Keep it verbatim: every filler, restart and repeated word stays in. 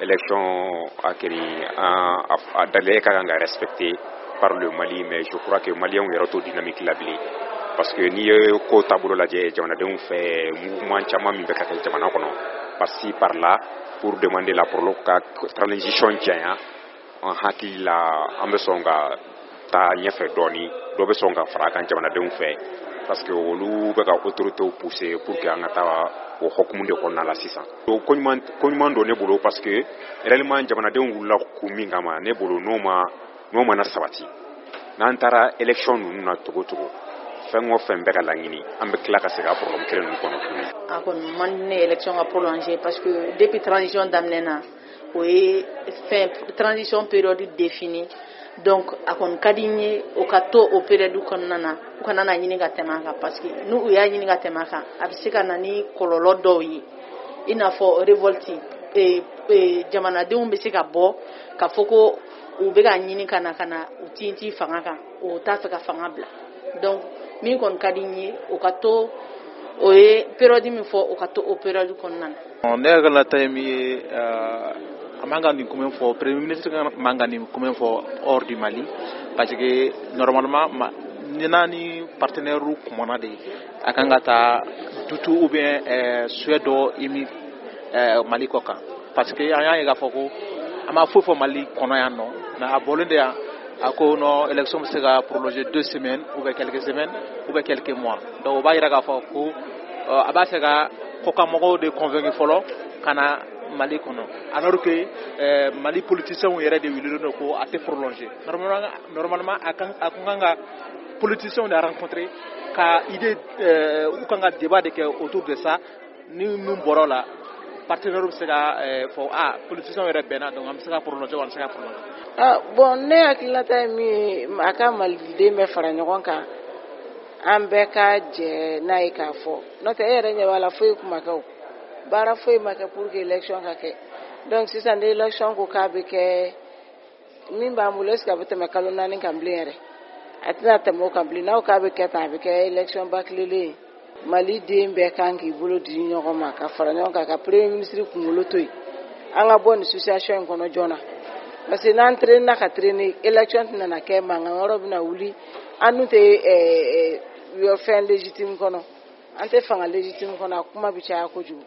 Élection a kɛri a délai ka kan ka respecter par le Mali, mais je crois que Maliens yɛrɛ t'o dynamique la bilen, parce que n'i ye ko taabolo lajɛ jamanadenw fɛ, mouvement caman min bɛ ka kɛ jamana kɔnɔ par-ci par-là pour demander la prolo ka transition janya, an hakili la an bɛ sɔn ka taa ɲɛfɛ dɔɔni, dɔ bɛ sɔn ka fara a kan jamanadenw fɛ, parce que olu bɛ ka autorités pousser pour que an ka taa o hokumu de kɔnɔna la sisan. Ko ɲuman ko ɲuman don ne bolo, parce que réellement jamanadenw wulila kun min kama, ne bolo n'o ma n'o mana sabati, n'an taara élection ninnu na cogo cogo, fɛn o fɛn bɛ ka laɲini, an bɛ tila ka segin a problème kelen ninnu kɔnɔ tuguni. A kɔni man di ne ye élection ka prolonger, parce que depuis transition daminɛ na, o ye fɛn transition période définie. Donc a kɔni ka di n ye o ka to o période kɔnɔna na, u kana na ɲini ka tɛmɛ a kan, parce que n'u y'a ɲini ka tɛmɛ a kan, a bɛ se ka na ni kɔlɔlɔ dɔw ye, i n'a fɔ révolte e, e, jamanadenw bɛ se ka bɔ ka fɔ ko u bɛ ka ɲini ka na ka na u tintin fanga kan, o t'a fɛ ka fanga bila. Donc min kɔni ka di n ye, o ka to o ye période min fɔ, o ka to o période kɔnɔna na. Ne hakilinata ye min ye, a man ka nin kuma fɔ, premier ministre man ka nin kuma fɔ hors du Mali, parce que normalement ni n'a ni partenaire kumana de, a kan ka taa doute ou bien souhait dɔ émis Mali kɔ kan, parce que an y'a ye k'a fɔ ko a ma foyi fɔ Mali kɔnɔ yan nɔ, mais a bɔlen de yan, a ko non, élection bɛ se ka prolonger deux semaines ou bien quelques semaines ou bien quelques mois. Donc o b'a yira k'a fɔ ko a b'a fɛ ka kɔkanmɔgɔw de convaincre fɔlɔ ka na Mali kɔnɔ, alors que euh, Mali politiciens yɛrɛ de wulilen don ko a tɛ prolonger. Normalement, normalement a kan a kun kan ka politiciens de rencontrer ka idée, euh, u kan ka débat de kɛ autour de ça. Ni min bɔra o la, partenaire bɛ se ka fɔ ah, politiciens yɛrɛ bɛnna, donc an bɛ se ka prolonger wa an bɛ se ka prolonger. Ah bon, ne hakilinata ye min ye, a ka maliden bɛɛ fara ɲɔgɔn kan, an bɛɛ ka jɛ n'a ye k'a fɔ, n'o tɛ e yɛrɛ ɲɛ b'a la, foyi kun ma kɛ, o baara foyi ma kɛ pour que élection ka kɛ. Donc sisan ni élection ko k'a bɛ kɛ, min b'an bolo, est ce que a bɛ tɛmɛ kalo naani kan bilen yɛrɛ? A tɛna tɛmɛ o kan bilen. N'aw k'a bɛ kɛ tan, a bɛ kɛ élection bâclélen ye. Mali den bɛɛ kan k'i bolo di ɲɔgɔn ma ka fara ɲɔgɔn kan ka premier ministre kunkolo to yen, an ka bɔ nin situation in kɔnɔ joona, parce que n'an traîner ka traîner, élection tɛna na kɛ, mankan wɛrɛw bɛna wuli. An dun tɛ fɛn légitime kɔnɔ, an tɛ fanga légitime kɔnɔ, a kuma bɛ caya kojugu.